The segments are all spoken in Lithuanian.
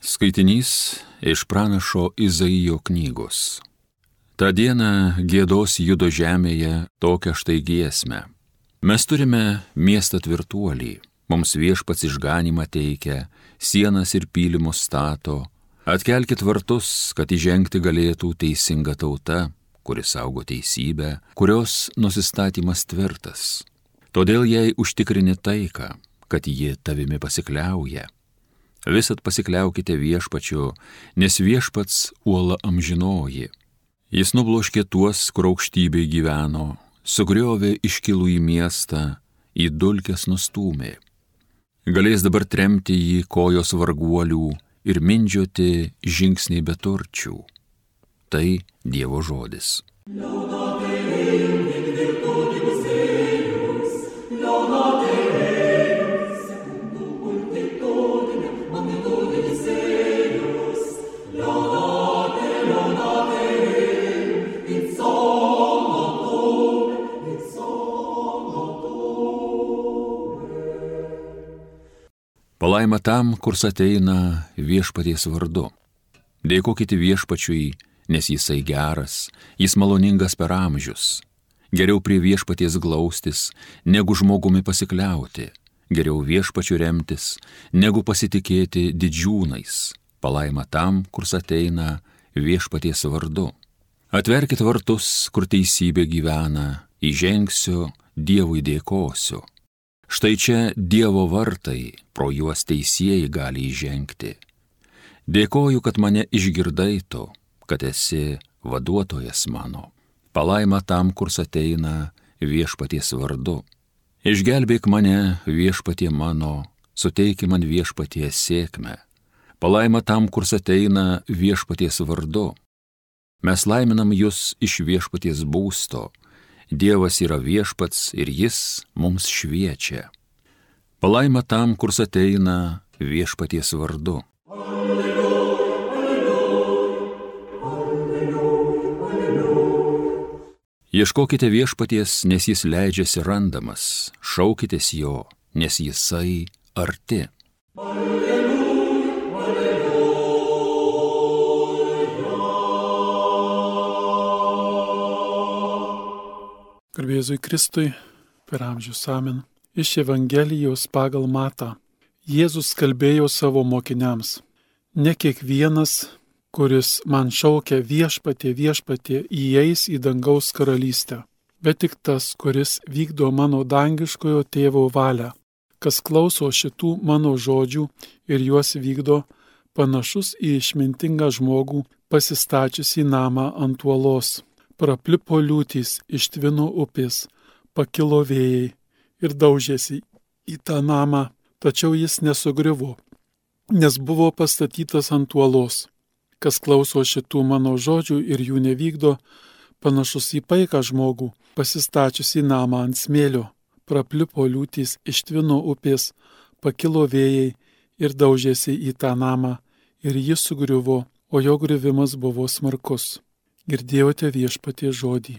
Skaitinys iš pranašo Izaijo knygos. Ta diena giedos Judo žemėje tokią štai giesmę. Mes turime miestą tvirtuolį, mums viešpats išganymą teikia, sienas ir pylimus stato. Atkelkit vartus, kad įžengti galėtų teisinga tauta, kuris saugo teisybę, kurios nusistatymas tvirtas. Todėl jai užtikrini taiką, kad ji tavimi pasikliauja. Visat pasikliaukite viešpačiu, nes viešpats uola amžinoji. Jis nubloškė tuos, kur aukštybėj gyveno, sugriovė iškilų į miestą, į dulkes nustūmė. Galės dabar tremti jį kojos varguolių ir mindžioti žingsniai beturčių. Tai Dievo žodis. Palaima tam, kurs ateina viešpaties vardu. Dėkokite viešpačiui, nes jisai geras, jis maloningas per amžius. Geriau prie viešpaties glaustis, negu žmogumi pasikliauti. Geriau viešpačiu remtis, negu pasitikėti didžiūnais. Palaima tam, kurs ateina viešpaties vardu. Atverkit vartus, kur teisybė gyvena, įžengsiu, Dievui dėkosiu. Štai čia Dievo vartai, pro juos teisieji gali įžengti. Dėkoju, kad mane išgirdai tu, kad esi vaduotojas mano. Palaima tam, kurs ateina viešpaties vardu. Išgelbėk mane, viešpatie mano, suteiki man viešpatie sėkmę. Palaima tam, kurs ateina viešpaties vardu. Mes laiminam jūs iš viešpaties būsto. Dievas yra viešpats ir jis mums šviečia. Palaima tam, kurs ateina viešpaties vardu. Ieškokite viešpaties, nes jis leidžiasi randamas, šaukitės jo, nes jisai arti. Garbė Jėzui Kristui, per amžius amen. Iš Evangelijos pagal Matą. Jėzus kalbėjo savo mokiniams: ne kiekvienas, kuris man šaukia viešpatie, viešpatie, įeis į dangaus karalystę, bet tik tas, kuris vykdo mano dangiškojo tėvo valią. Kas klauso šitų mano žodžių ir juos vykdo, panašus į išmintingą žmogų pasistačiusį namą ant uolos. Praplipo liūtys, ištvino upės, pakilo vėjai ir daužėsi į tą namą, tačiau jis nesugriuvo, nes buvo pastatytas ant uolos. Kas klauso šitų mano žodžių ir jų nevykdo, panašus į paiką žmogų, pasistačiusį namą ant smėlio. Praplipo liūtys, ištvino upės, pakilo vėjai ir daužėsi į tą namą, ir jis sugriuvo, o jo griuvimas buvo smarkus. Girdėjote viešpaties žodį.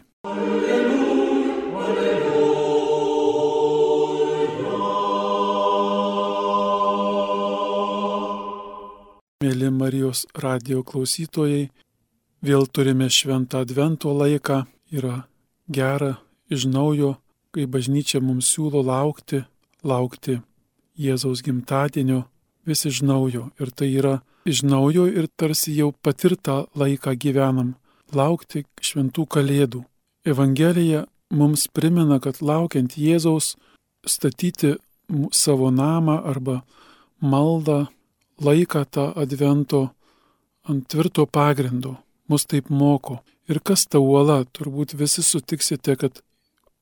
Mėly Marijos radijo klausytojai, vėl turime šventą advento laiką. Yra gera iš naujo, kai bažnyčia mums siūlo laukti Jėzaus gimtadienio vis iš naujo. Ir tai yra iš naujo ir tarsi jau patirtą laiką gyvenam. Laukti šventų kalėdų. Evangelija mums primena, kad laukiant Jėzaus statyti savo namą arba maldą, laiką tą advento ant tvirto pagrindo. Mus taip moko. Ir kas ta uola? Turbūt visi sutiksite, kad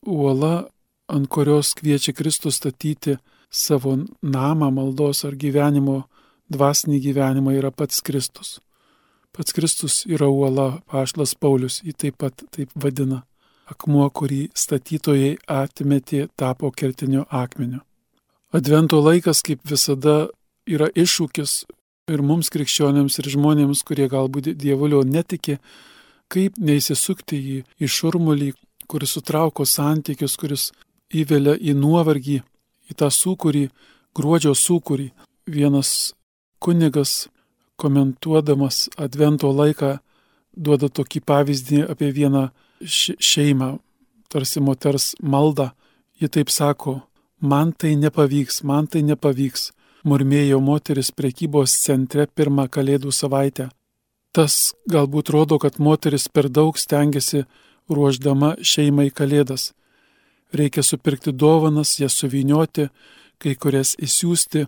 uola, ant kurios kviečia Kristus statyti savo namą, maldos ar gyvenimo, dvasinį gyvenimą, yra pats Kristus. Pats Kristus yra uola, apaštalas Paulius jį taip vadina. Akmuo, kurį statytojai atmetė, tapo kertinio akmenio. Advento laikas, kaip visada, yra iššūkis ir mums krikščionėms ir žmonėms, kurie galbūt dievulio netiki, kaip neįsisukti į šurmulį, kuris sutrauko santykius, kuris įvelia į nuovargį, į tą sūkurį, gruodžio sūkurį. Vienas kunigas komentuodamas Advento laiką duoda tokį pavyzdį apie vieną šeimą, tarsi moters maldą. Ji taip sako, man tai nepavyks, murmėjo moteris prekybos centre pirmą Kalėdų savaitę. Tas galbūt rodo, kad moteris per daug stengiasi ruošdama šeimai Kalėdas. Reikia supirkti dovanas, jas suvynioti, kai kurias įsiųsti,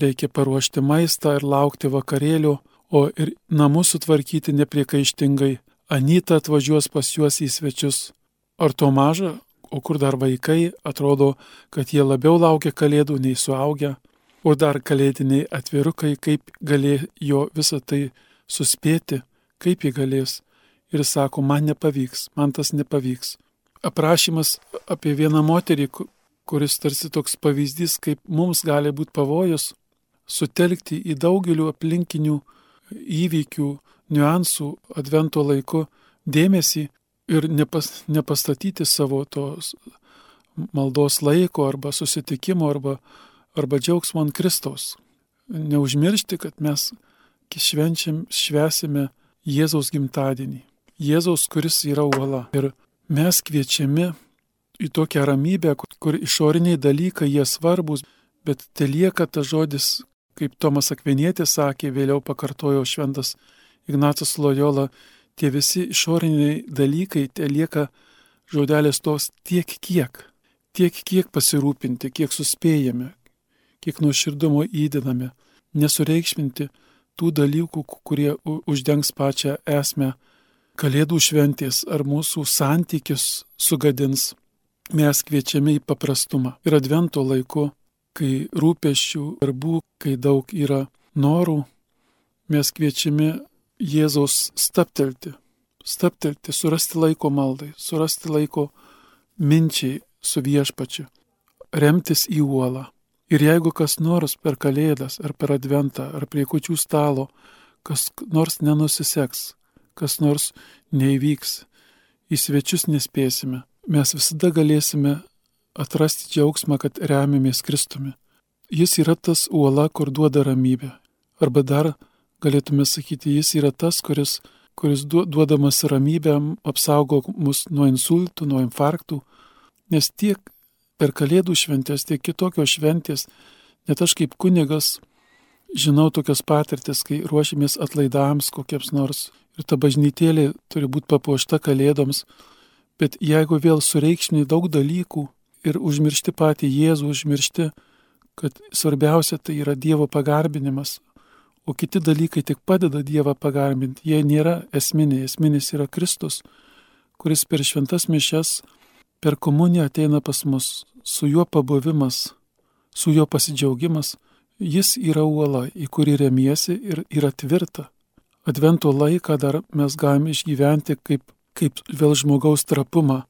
reikia paruošti maistą ir laukti vakarėlio, o ir namus sutvarkyti nepriekaištingai. Anyta atvažiuos pas juos į svečius. Ar to maža, o kur dar vaikai, atrodo, kad jie labiau laukia Kalėdų nei suaugę, o dar kalėdiniai atvirukai, kaip galėjo visą tai suspėti, kaip jie galės. Ir sako, man tas nepavyks. Aprašymas apie vieną moterį, kuris tarsi toks pavyzdys, kaip mums gali būti pavojus sutelkti į daugelių aplinkinių įvykių, niuansų Advento laiku dėmesį ir nepastatyti savo tos maldos laiko arba susitikimo arba džiaugsmo ant Kristaus. Neužmiršti, kad mes švęsime Jėzaus gimtadienį. Jėzaus, kuris yra uola. Ir mes kviečiami į tokią ramybę, kur išoriniai dalykai jie svarbus, bet telieka tas žodis, kaip Tomas Akvinietis sakė, vėliau pakartojo šventas Ignacas Lojola, tie visi išoriniai dalykai telieka žodelis tos tiek kiek pasirūpinti, kiek suspėjame, kiek nuoširdumo įdedame, nesureikšminti tų dalykų, kurie uždengs pačią esmę Kalėdų šventės ar mūsų santykius sugadins. Mes kviečiame į paprastumą. Ir Advento laiku, kai rūpesčių, darbų, kai daug yra norų, mes kviečiame Jėzaus staptelti, surasti laiko maldai, surasti laiko minčiai su viešpačiu, remtis į uolą. Ir jeigu kas nors per Kalėdas ar per Adventą ar prie kūčių stalo, kas nors nenusiseks, kas nors neįvyks, į svečius nespėsime, mes visada galėsime atrasti džiaugsmą, kad remiamės Kristumi. Jis yra tas uola, kur duoda ramybę. Arba dar galėtume sakyti, jis yra tas, kuris duodamas ramybę apsaugo mus nuo insultų, nuo infarktų, nes tiek per Kalėdų šventės, tiek kitokios šventės, net aš kaip kunigas žinau tokias patirtis, kai ruošimės atlaidams kokiems nors ir ta bažnytėlė turi būti papuošta Kalėdoms, bet jeigu vėl sureikšmini daug dalykų ir užmiršti patį Jėzų, užmiršti, kad svarbiausia tai yra Dievo pagarbinimas, o kiti dalykai tik padeda Dievą pagarbinti, jie nėra esminiai, esminis yra Kristus, kuris per šventas mišias, per komuniją ateina pas mus, su juo pabuvimas, su juo pasidžiaugimas, jis yra uola, į kurį remiesi ir yra tvirta. Advento laiką dar mes galime išgyventi kaip vėl žmogaus trapumą.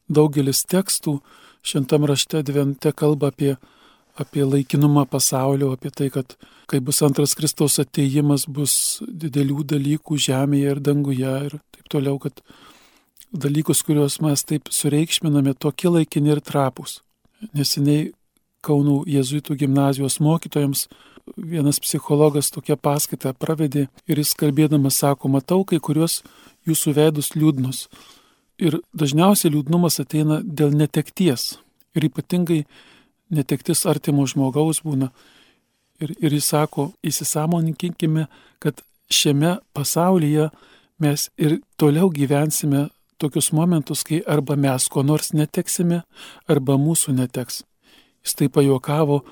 Daugelis tekstų šventam rašte Advente kalba apie laikinumą pasaulio, apie tai, kad kai bus antras Kristaus atėjimas, bus didelių dalykų žemėje ir danguje ir taip toliau, kad dalykus, kuriuos mes taip sureikšminame, tokie laikini ir trapūs. Neseniai Kauno jėzuitų gimnazijos mokytojams vienas psichologas tokią paskaitą pravedė ir jis kalbėdamas sako, matau kai kuriuos jūsų veidus liūdnus. Ir dažniausiai liūdnumas ateina dėl netekties. Ir ypatingai netektis artimo žmogaus būna. Ir jis sako, įsisąmoninkime, kad šiame pasaulyje mes ir toliau gyvensime tokius momentus, kai arba mes ko nors neteksime, arba mūsų neteks. Jis tai pajuokavo,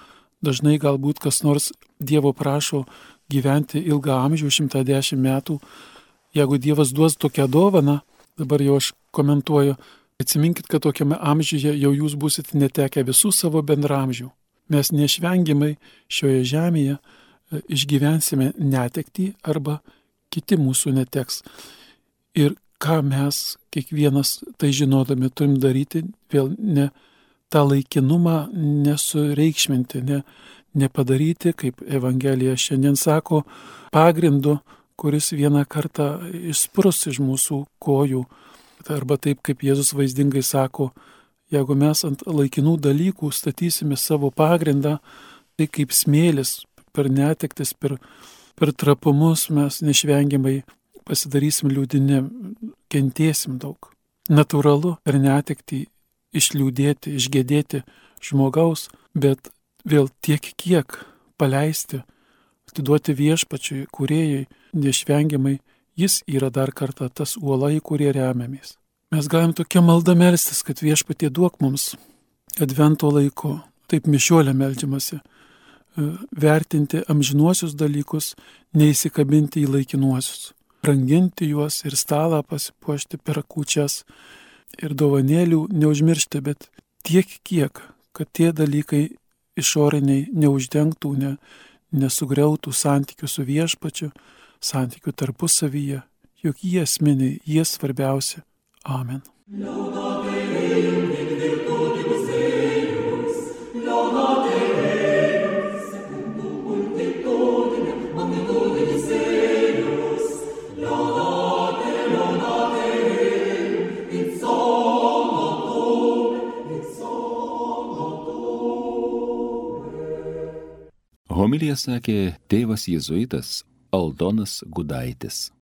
dažnai galbūt kas nors Dievo prašo gyventi ilgą amžių, 110 metų. Jeigu Dievas duos tokią dovaną, dabar jau aš komentuoju, atsiminkit, kad tokiame amžiuje jau jūs būsite netekę visų savo bendramžių. Mes neišvengiamai šioje žemėje išgyvensime netektį arba kiti mūsų neteks. Ir ką mes, kiekvienas tai žinodami, turim daryti, vėl tą laikinumą nesureikšminti, nepadaryti, kaip Evangelija šiandien sako, pagrindu, kuris vieną kartą išsprus iš mūsų kojų. Arba taip, kaip Jėzus vaizdingai sako, jeigu mes ant laikinų dalykų statysime savo pagrindą, tai kaip smėlis per netektis, per per trapumus mes neišvengiamai pasidarysim liūdini, kentėsim daug. Natūralu per netektį išliūdėti, išgėdėti žmogaus, bet vėl tiek kiek paleisti, atiduoti viešpačiui, kūrėjai, neišvengiamai jis yra dar kartą tas uola, į kurį remiamės. Mes galim tokia malda melstis, kad viešpatie duok mums advento laiku, taip mišiolė meldžiamasi, vertinti amžinuosius dalykus, neįsikabinti į laikinuosius, branginti juos ir stalą pasipuošti per kūčias ir dovanėlių neužmiršti, bet tiek kiek, kad tie dalykai išoriniai neuždengtų, nesugriautų santykių su viešpačiu, santykių tarpusavyje, juk jie esminiai, jie svarbiausi. Amen. Homiliją sakė tėvas jėzuitas Aldonas Gudaitis.